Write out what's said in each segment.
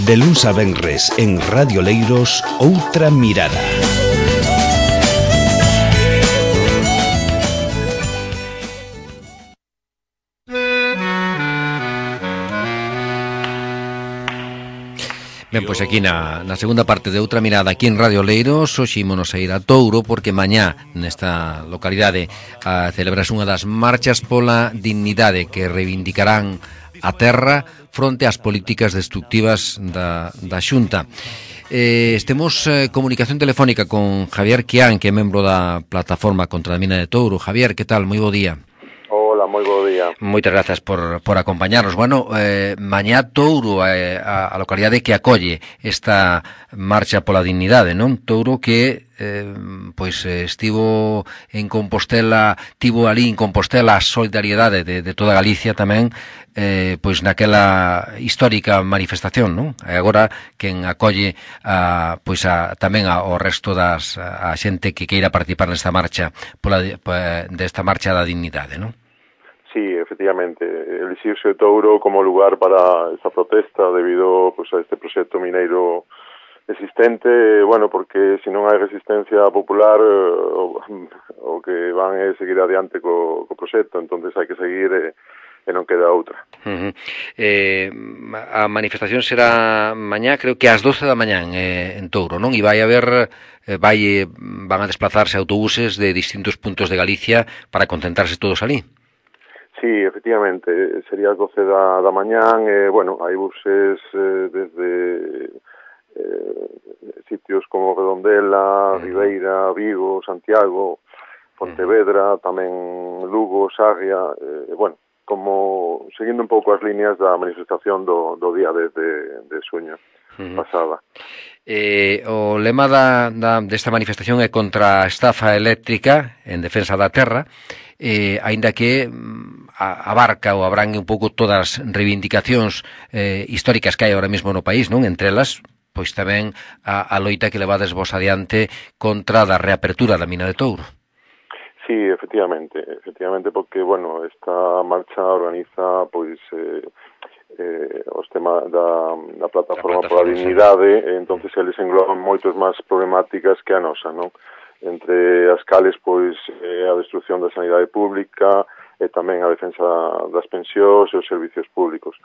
De luns a venres en Radio Leiros, Outra Mirada. Ben, pois aquí na segunda parte de Outra Mirada aquí en Radio Leiros, hoxe ímonos a ir a Touro porque mañá nesta localidade celebras unha das marchas pola dignidade que reivindicarán a terra fronte ás políticas destructivas da Xunta. Temos comunicación telefónica con Javier Quián, que é membro da plataforma contra a mina de Touro. Javier, que tal? Moi bo día. Hola, moi bo día. Moitas grazas por acompañarnos. Bueno, mañá Touro a localidade que acolle esta marcha pola dignidade, non? Touro que estivo en Compostela, tivo ali en Compostela a solidariedade de toda Galicia tamén, naquela histórica manifestación, non? E agora quen acolle tamén ao resto a xente que queira participar nesta marcha desta marcha da dignidade, non? Sí, efectivamente, elixiuse Touro como lugar para esta protesta debido a este proxecto mineiro existente, porque se non hai resistencia popular o que van é seguir adiante co proxecto, entonces hai que seguir e non queda outra. A manifestación será mañá, creo que ás 12 da mañá en Touro, non? E vai haber van a desplazarse autobuses de distintos puntos de Galicia para concentrarse todos ali. Sí, efectivamente, sería as 12 da mañán, hai buses desde sitios como Redondela, Ribeira, Vigo, Santiago, Pontevedra, tamén Lugo, Sarria, como seguindo un pouco as líneas da manifestación do día de xuño pasada. O lema desta manifestación é contra a estafa eléctrica en defensa da terra, aínda que abarca ou abrangue un pouco todas as reivindicacións históricas que hai ahora mesmo no país, non? Entre elas, pois tamén a loita que levades vos adiante contra a reapertura da mina de Touro. Sí, efectivamente, porque, esta marcha organiza, os temas da plataforma pola dignidade, entonces eles engloban moitos máis problemáticas que a nosa, non? Entre as cales, a destrucción da sanidade pública e tamén a defensa das pensións e os servicios públicos.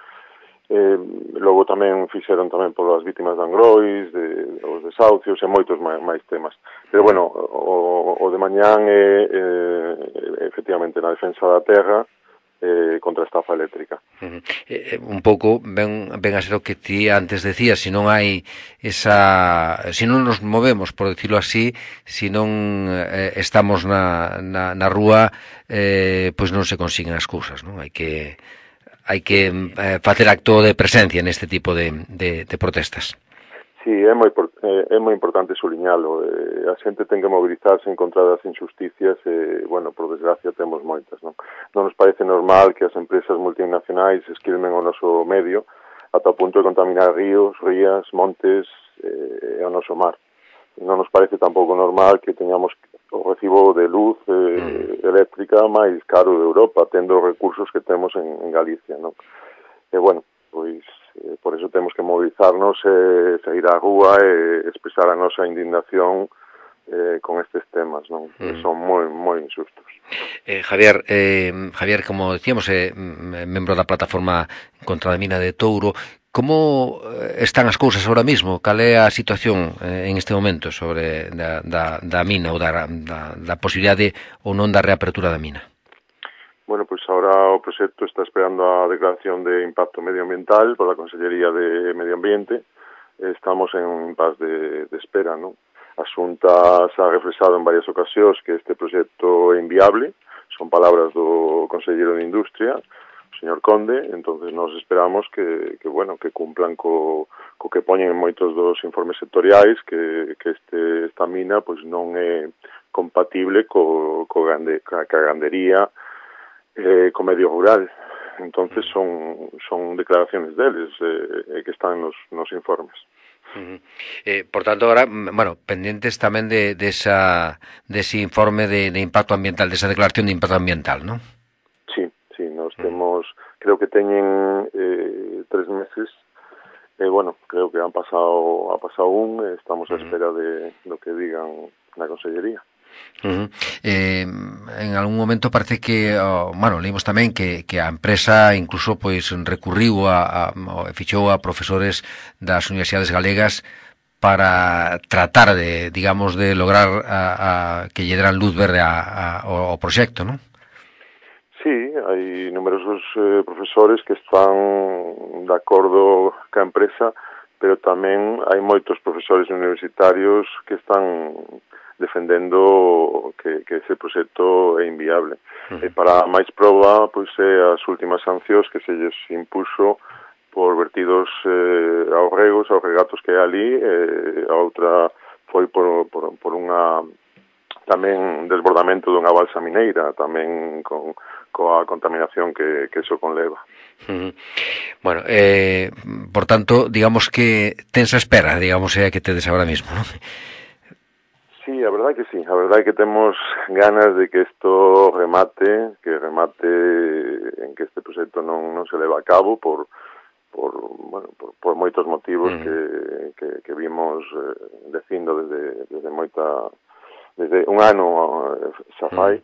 Logo tamén fixeron tamén polas vítimas de Angrois, os desahucios e moitos máis temas. Pero, o de mañán é efectivamente na defensa da terra contra a estafa eléctrica. Un pouco ven a ser o que ti antes decías, se non hai se non nos movemos, por decirlo así, se non estamos na rúa, pois non se consiguen as cousas, non? Hai que facer acto de presencia neste tipo de protestas. Sí, é moi importante suliñalo. A xente ten que mobilizarse en contra das injusticias e, por desgracia, temos moitas, non? Non nos parece normal que as empresas multinacionais esquilmen o noso medio ata o punto de contaminar ríos, rías, montes e o noso mar. Non nos parece tampouco normal que teñamos o recibo de luz eléctrica máis caro de Europa, tendo os recursos que temos en Galicia, non? E, por eso temos que mobilizarnos e sair á rúa e expresar a nosa indignación con estes temas, non? Que son moi injustos. Javier, como decíamos, membro da plataforma contra a mina de Touro, como están as cousas ahora mismo? Cal é a situación en este momento sobre da mina ou da posibilidade ou non da reapertura da mina? Ahora o proxecto está esperando a declaración de impacto medioambiental pola Consellería de Medio Ambiente. Estamos en un impasse de espera, non? A Xunta xa ha reflexado en varias ocasións que este proxecto é inviable, son palabras do Conselleiro de Industria, o señor Conde, entonces nos esperamos que cumplan co que poñen en moitos dos informes sectoriais, que esta mina non é compatible ca gandería, co medio rural. Entonces son declaraciones deles que están nos informes. Por tanto, ahora, pendientes tamén dese informe de impacto ambiental, desa declaración de impacto ambiental, non? Sí, nos temos, creo que teñen 3 meses bueno, creo que ha pasado estamos a espera de lo que digan na Consellería. En algún momento parece que, leímos tamén que a empresa incluso pois recurriu fichou a profesores das universidades galegas para tratar de, digamos, de lograr que lle deran luz verde ao proxecto, non? Sí, hai numerosos profesores que están de acordo ca empresa, pero tamén hai moitos profesores universitarios que están defendendo que ese proxecto é inviable. E para máis proba, pois as últimas sancións que se lles impuxo por vertidos aos regatos que hai ali, a outra foi por unha tamén desbordamento dunha balsa mineira, tamén coa contaminación que iso conleva. Bueno, por tanto, digamos que tens a espera, digamos, que tedes agora mismo, non? Sí, a verdade que sí, a verdade que temos ganas de que isto remate, en que este proxecto non se leva a cabo por moitos motivos que vimos dicindo desde un ano xa fai.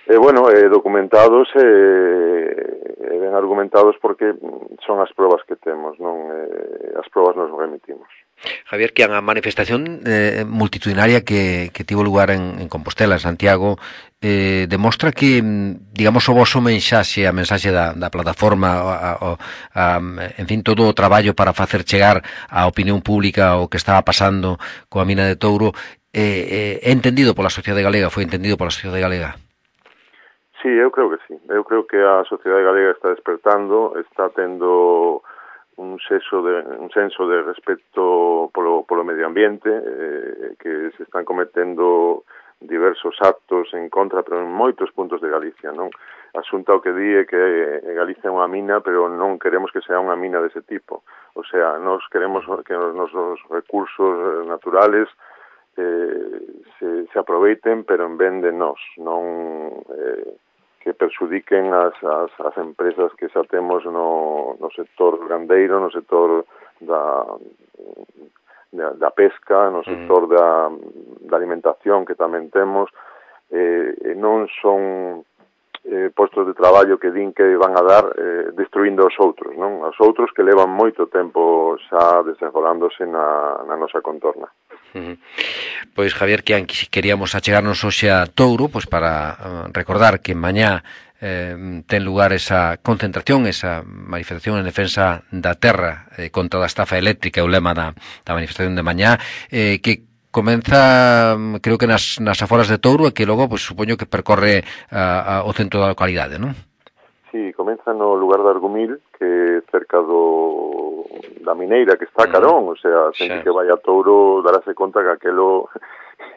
Documentados ben argumentados porque son as probas que temos, non as probas nos remitimos. Javier, que a manifestación multitudinaria que tivo lugar en Compostela, en Santiago, demostra que, digamos, o voso mensaxe, a mensaxe da plataforma, en fin, todo o traballo para facer chegar á opinión pública o que estaba pasando coa mina de Touro, é entendido pola sociedade galega, foi entendido pola sociedade galega? Sí, eu creo que sí. Eu creo que a sociedade galega está despertando, está tendo un senso de respeto polo medio ambiente, que se están cometendo diversos actos en contra, pero en moitos puntos de Galicia, non? A Xunta o que di é que Galicia é unha mina, pero non queremos que sea unha mina dese tipo. O sea, nós queremos que os nosos recursos naturales se aproveiten, pero en vez de nós, non que perxudiquen as empresas que xa temos no sector gandeiro, no sector da pesca, no sector da alimentación que tamén temos, non son postos de traballo que din que van a dar destruindo os outros, non? Os outros que levan moito tempo xa desenrolándose na nosa contorna. Pois, Javier, que queríamos achegarnos hoxe a Touro, pois para recordar que mañá ten lugar esa concentración, esa manifestación en defensa da terra contra a estafa eléctrica, o lema da manifestación de mañá, que comeza, creo que nas aforas de Touro, e que logo, pois, supoño que percorre o centro da localidade, non? Sí, comeza no lugar de Argumil, que é cerca da mineira que está a Carón, o sea, xente que vai a Touro darase conta que aquelo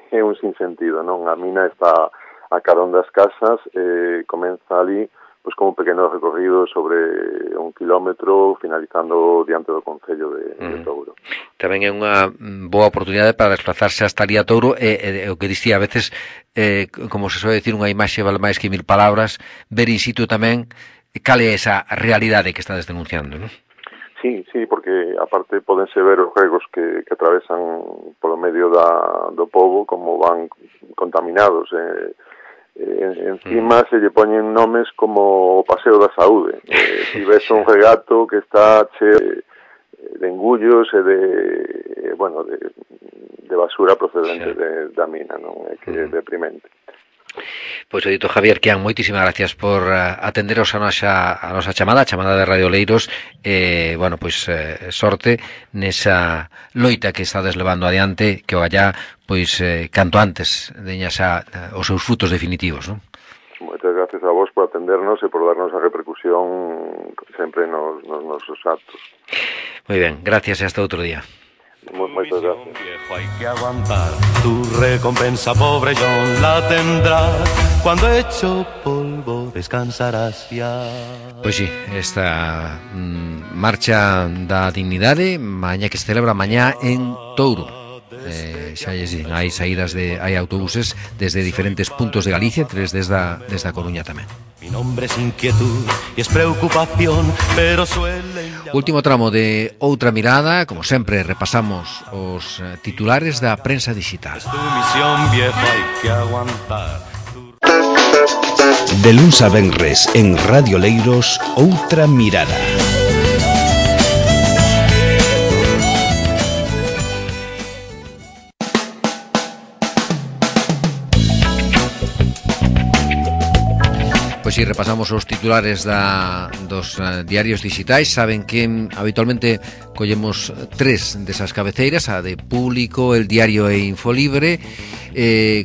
é un sinsentido, non? A mina está a Carón das casas, comeza ali pois como un pequeno recorrido sobre 1 kilómetro, finalizando diante do Concello de Touro. Tamén é unha boa oportunidade para desplazarse hasta ali a Touro, e o que dicía a veces, como se soe dicir, unha imaxe vale máis que 1000 palabras, ver in situ tamén cal é esa realidade que estades denunciando, non? Sí, porque aparte podense ver os regos que atravesan polo medio do pobo, como van contaminados, encima se lle poñen nomes como o Paseo da Saúde. Si ves un regato que está cheo de engullos e de basura procedente da mina, non? É que é deprimente. Pois o dito Javier Quián, moitísimas gracias por atenderos a nosa chamada de Radio Leiros, sorte nesa loita que estades levando adiante, que o allá, pois, canto antes deña xa os seus frutos definitivos, non? Moitas gracias a vos por atendernos e por darnos a repercusión sempre nos nosos actos. Moi ben, gracias e hasta outro día. Muchas gracias. Viejo, hay que aguantar. Tu recompensa, pobre John, la tendrás. Cuando hecho polvo descansarás ya. Pois sí, esta marcha da dignidade, mañá que se celebra mañá en Touro. xa lles din, hai autobuses desde diferentes puntos de Galicia, 3 desde a Coruña tamén. Mi nombre es inquietud y es preocupación, pero suele... Último tramo de Outra Mirada, como sempre repasamos os titulares da prensa digital. Es tu misión, viejo, hay que aguantar. De luns a venres en Radio Leiros, Outra Mirada. Pois si repasamos os titulares dos diarios digitais, saben que habitualmente collemos 3 desas cabeceiras, a de Público, El Diario e Infolibre.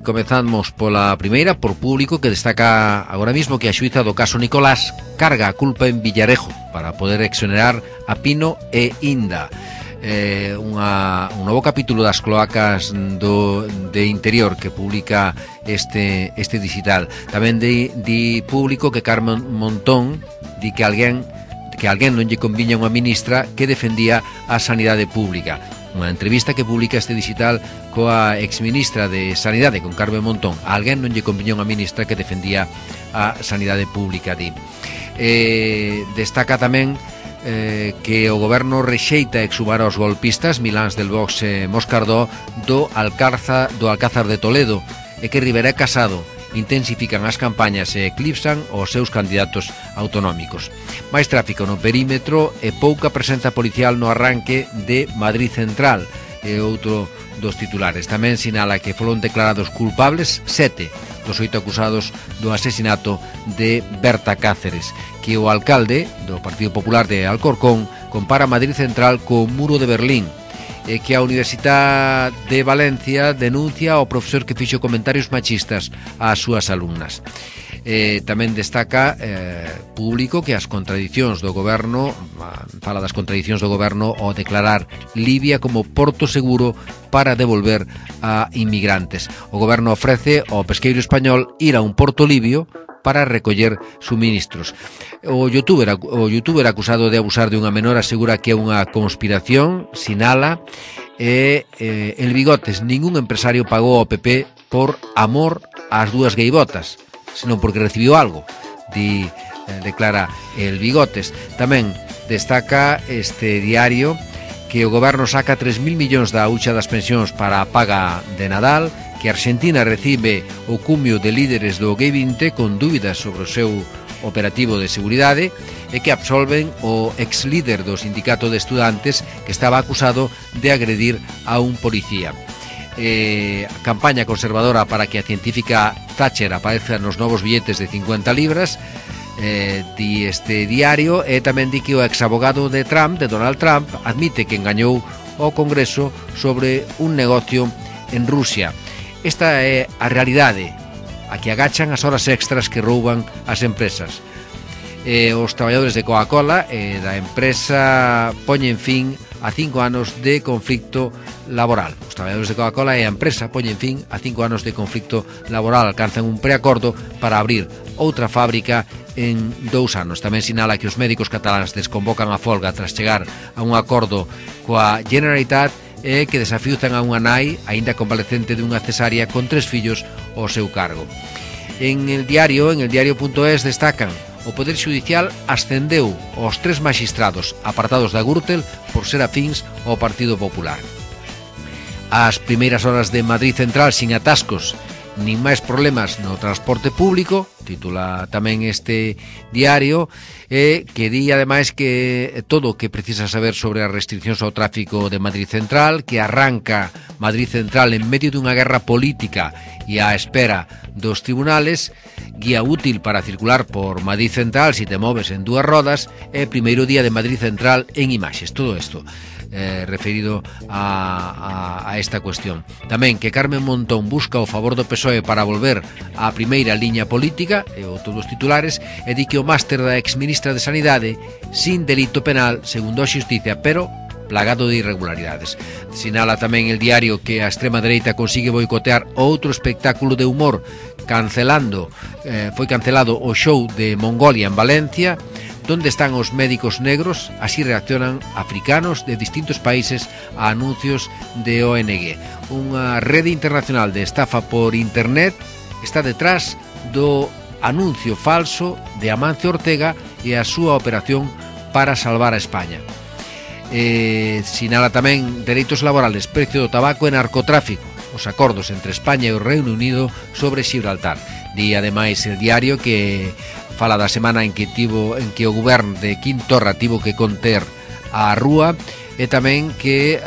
Comezamos pola primeira, por Público, que destaca agora mismo que a xuíza do caso Nicolás carga a culpa en Villarejo para poder exonerar a Pino e Inda. Un novo capítulo das cloacas de Interior que publica este digital. Tamén di Público que Carmen Montón di que alguén non lle conviña unha ministra que defendía a sanidade pública. Unha entrevista que publica este digital coa exministra de Sanidade, con Carmen Montón. A alguén non lle conviña unha ministra que defendía a sanidade pública, di. Destaca tamén que o goberno rexeita exhumar aos golpistas Miláns del Vox Moscardó do Alcázar de Toledo, e que Rivera e Casado intensifican as campañas e eclipsan os seus candidatos autonómicos. Máis tráfico no perímetro e pouca presenza policial no arranque de Madrid Central, é outro dos titulares. Tamén sinala que foron declarados culpables 7 dos 8 acusados do asesinato de Berta Cáceres, que o alcalde do Partido Popular de Alcorcón compara Madrid Central co muro de Berlín, e que a Universidade de Valencia denuncia ao profesor que fixo comentarios machistas ás súas alumnas. Tamén destaca Público que as contradicións do goberno, fala das contradicións do goberno ao declarar Libia como porto seguro para devolver a inmigrantes. O goberno ofrece ao pesqueiro español ir a un porto libio para recoller suministros. O youtuber acusado de abusar de unha menor asegura que é unha conspiración, sinala, el Bigotes, ningún empresario pagou ao PP por amor ás dúas gaivotas, senón porque recibiu algo, declara el Bigotes. Tamén destaca este diario que o goberno saca 3.000 millóns da hucha das pensións para a paga de Nadal, que Argentina recibe o cumio de líderes do G20 con dúbidas sobre o seu operativo de seguridade, e que absolven o ex-líder do sindicato de estudantes que estaba acusado de agredir a un policía. Campaña conservadora para que a científica Thatcher apareza nos novos billetes de 50 libras, di este diario, e tamén di que o exabogado de Donald Trump, admite que engañou o Congreso sobre un negocio en Rusia. Esta é a realidade, a que agachan as horas extras que rouban as empresas. Os traballadores de Coca-Cola e da empresa poñen fin a 5 anos de conflicto laboral. Os traballadores de Coca-Cola e a empresa poñen fin a 5 anos de conflicto laboral. Alcanzan un preacordo para abrir outra fábrica en 2 anos. Tamén sinala que os médicos cataláns desconvocan a folga tras chegar a un acordo coa Generalitat, e que desafiuzan a unha nai aínda convalecente dunha cesárea con 3 fillos ao seu cargo. En el diario.es destacan: o Poder Xudicial ascendeu os 3 maxistrados apartados da Gürtel por ser afíns ao Partido Popular. As primeiras horas de Madrid Central sin atascos nin máis problemas no transporte público, titula tamén este diario, que di ademais que todo o que precisa saber sobre as restriccións ao tráfico de Madrid Central, que arranca Madrid Central en medio dunha guerra política e á espera dos tribunales, guía útil para circular por Madrid Central si te moves en 2 rodas, e primeiro día de Madrid Central en imaxes. Todo isto referido a esta cuestión. Tamén que Carmen Montón busca o favor do PSOE para volver á primeira liña política, e outros dos titulares, e di que o máster da exministra de Sanidade sin delito penal, segundo a xustiza, pero plagado de irregularidades. Sinala tamén el diario que a extrema dereita consigue boicotear outro espectáculo de humor, foi cancelado o show de Mongolia en Valencia. ¿Dónde están os médicos negros? Así reaccionan africanos de distintos países a anuncios de ONG. Unha rede internacional de estafa por internet está detrás do anuncio falso de Amancio Ortega e a súa operación para salvar a España. Sinala tamén dereitos laborales, precio do tabaco e narcotráfico, os acordos entre España e o Reino Unido sobre Gibraltar. Di ademais el diario que fala da semana en que o goberno de Quim Torra tivo que conter a rúa, e tamén que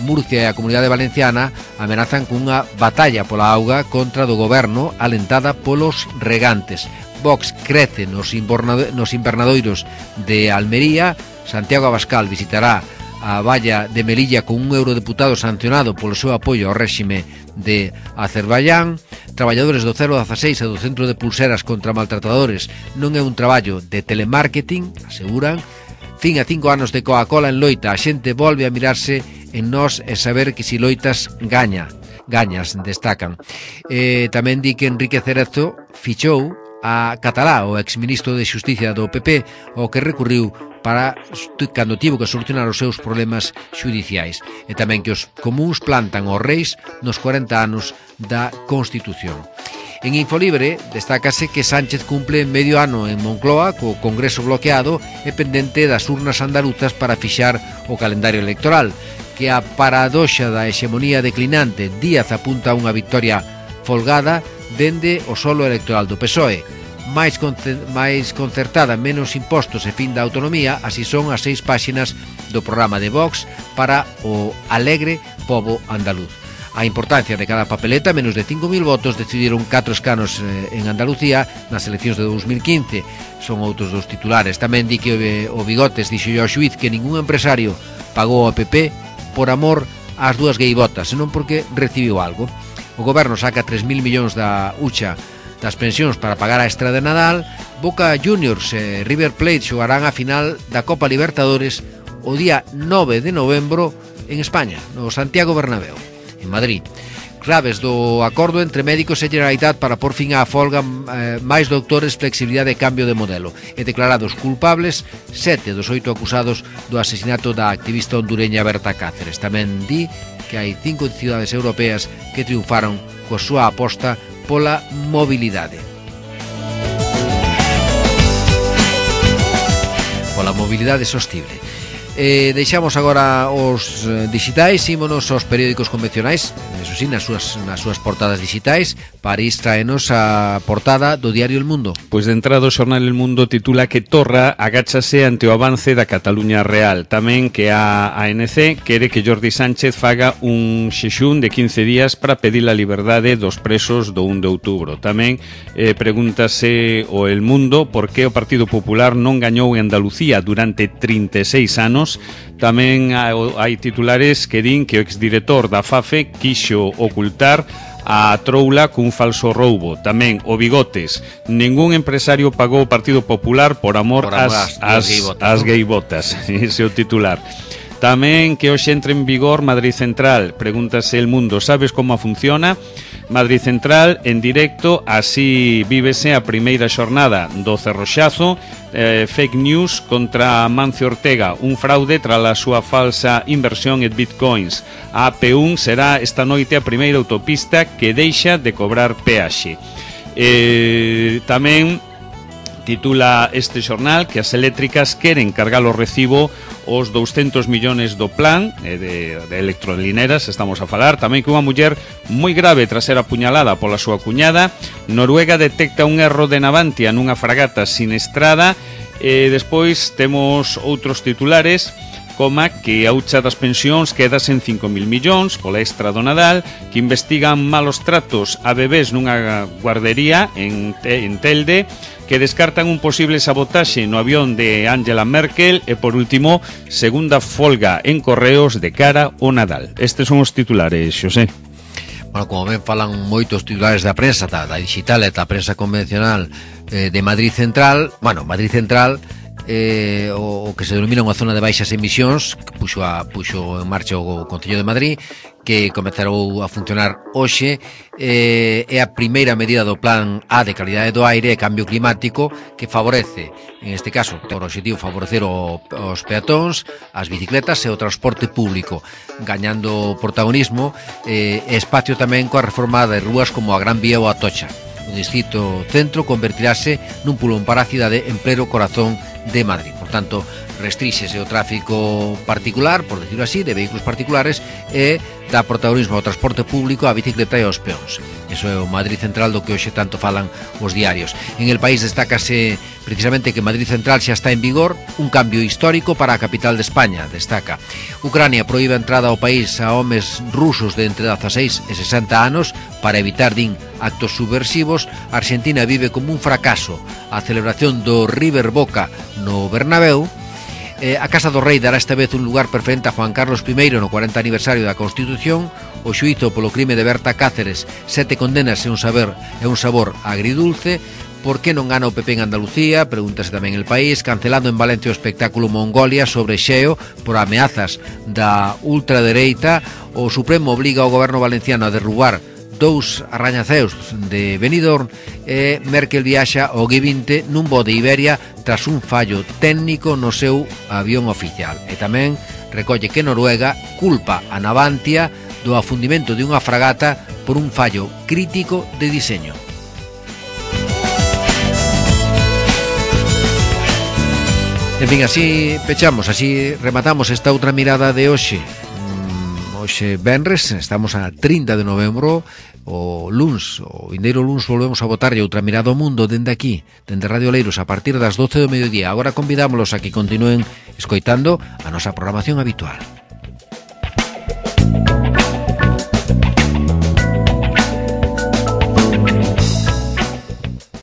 Murcia e a Comunidade Valenciana amenazan cunha batalla pola auga contra do goberno alentada polos regantes. Vox crece nos invernadoiros de Almería. Santiago Abascal visitará a valla de Melilla con un eurodeputado sancionado polo seu apoio ao réxime de Azerbaiyán. Traballadores do 016 e do Centro de Pulseras contra Maltratadores non é un traballo de telemarketing, aseguran. Fin a 5 anos de Coca-Cola en loita, a xente volve a mirarse en nós e saber que si loitas gañas, destacan. Tamén di que Enrique Cerezo fichou a Catalá, o exministro de Xusticia do PP, o que recurriu para cando tivo que solucionar os seus problemas xudiciais. E tamén que os comúns plantan os reis nos 40 anos da Constitución. En Infolibre destácase que Sánchez cumple medio ano en Moncloa co Congreso bloqueado e pendente das urnas andaluzas para fixar o calendario electoral. Que a paradoxa da hexemonía declinante, Díaz apunta a unha victoria folgada dende o solo electoral do PSOE. máis concertada, menos impostos e fin da autonomía, así son as 6 páxinas do programa de Vox para o alegre pobo andaluz. A importancia de cada papeleta, menos de 5.000 votos, decidiron 4 escanos en Andalucía nas eleccións de 2015. Son outros dos titulares. Tamén di que o Bigotes dixo ao xuíz que ningún empresario pagou ao PP por amor ás dúas gaivotas, senón porque recibiu algo. O goberno saca 3.000 millóns da hucha das pensións para pagar a extra de Nadal. Boca Juniors e River Plate xogarán a final da Copa Libertadores o día 9 de novembro en España, no Santiago Bernabéu, en Madrid. Claves do acordo entre médicos e Generalitat para por fin á folga, máis doutores, flexibilidade e cambio de modelo. E declarados culpables 7 dos 8 acusados do asesinato da activista hondureña Berta Cáceres. Tamén di que hai 5 cidades europeas que triunfaron coa súa aposta pola mobilidade. Pola mobilidade sostible. Deixamos agora os digitais, ímonos aos periódicos convencionais, eso sí, nas súas portadas digitais. París traenos a portada do diario El Mundo. Pois de entrada o xornal El Mundo titula que Torra agáchase ante o avance da Cataluña Real. Tamén que a ANC quere que Jordi Sánchez faga un xexún de 15 días para pedir a liberdade dos presos do 1 de outubro. Tamén pregúntase o El Mundo por que o Partido Popular non gañou en Andalucía durante 36 anos. Tamén hai titulares que din que o exdirector da FAFE quixo ocultar a troula cun falso roubo. Tamén o Bigotes, ningún empresario pagou o Partido Popular por amor ás gaivotas. Ese é o titular. Tamén que hoxe entre en vigor Madrid Central. Pregúntase El Mundo, sabes como funciona? Madrid Central en directo, así vívese a primeira xornada do Cerroxazo. Fake news contra Amancio Ortega, un fraude tras a súa falsa inversión en bitcoins. A AP1 será esta noite a primeira autopista que deixa de cobrar peaxe. Tamén titula este xornal que as eléctricas queren cargar o recibo os 200 millóns do plan de electrolineras, estamos a falar. Tamén que unha muller moi grave tras ser apuñalada pola súa cuñada. Noruega detecta un erro de Navantia nunha fragata siniestrada. Despois temos outros titulares, coma que a hucha das pensións quedas en 5.000 millóns pola extra do Nadal, que investigan malos tratos a bebés nunha guardería en Telde, que descartan un posible sabotaxe no avión de Angela Merkel e, por último, segunda folga en Correos de cara ao Nadal. Estes son os titulares, Xosé. Bueno, como ben falan moitos titulares da prensa, da digital e da prensa convencional de Madrid Central. Bueno, Madrid Central, o que se denomina unha zona de baixas emisións, que puxo en marcha o Concello de Madrid, que comezarou a funcionar hoxe, é a primeira medida do Plan A de calidade do aire e cambio climático que favorece, en este caso, ten o objetivo favorecer os peatóns, as bicicletas e o transporte público, gañando protagonismo e espacio tamén coa reforma de rúas como a Gran Vía ou a Atocha. O distrito centro convertirase nun pulmón para a cidade en pleno corazón de Madrid. Por tanto, restríxese o tráfico particular, por decirlo así, de vehículos particulares e dá protagonismo ao transporte público, á bicicleta e aos peóns. Iso é o Madrid Central do que hoxe tanto falan os diarios. En el país destácase precisamente que Madrid Central xa está en vigor, un cambio histórico para a capital de España, destaca. Ucrania proíbe a entrada ao país a homes rusos de entre 16 e 60 anos para evitar, din, actos subversivos. Argentina vive como un fracaso a celebración do River Boca no Bernabéu. A Casa do Rei dará esta vez un lugar preferente a Juan Carlos I no 40 aniversario da Constitución. O xuízo polo crime de Berta Cáceres, 7 condenas e un sabor agridulce. Por que non gana o PP en Andalucía? Pregúntase tamén El País. Cancelando en Valencia o espectáculo Mongolia sobre Xeo por ameazas da ultradereita. O Supremo obliga ao goberno valenciano a derrubar 2 arrañaceus de Benidorm e Merkel viaxa ao G20 nun voo de Iberia tras un fallo técnico no seu avión oficial. E tamén recolle que Noruega culpa a Navantia do afundimento de unha fragata por un fallo crítico de diseño. En fin, así pechamos, así rematamos esta outra mirada de hoxe. Hoxe venres, estamos a 30 de novembro, o vindeiro luns volvemos a botarlle outra mirada ao mundo dende aquí, dende Radio Leiros, a partir das 12 do mediodía. Agora convidámoslos a que continúen escoitando a nosa programación habitual.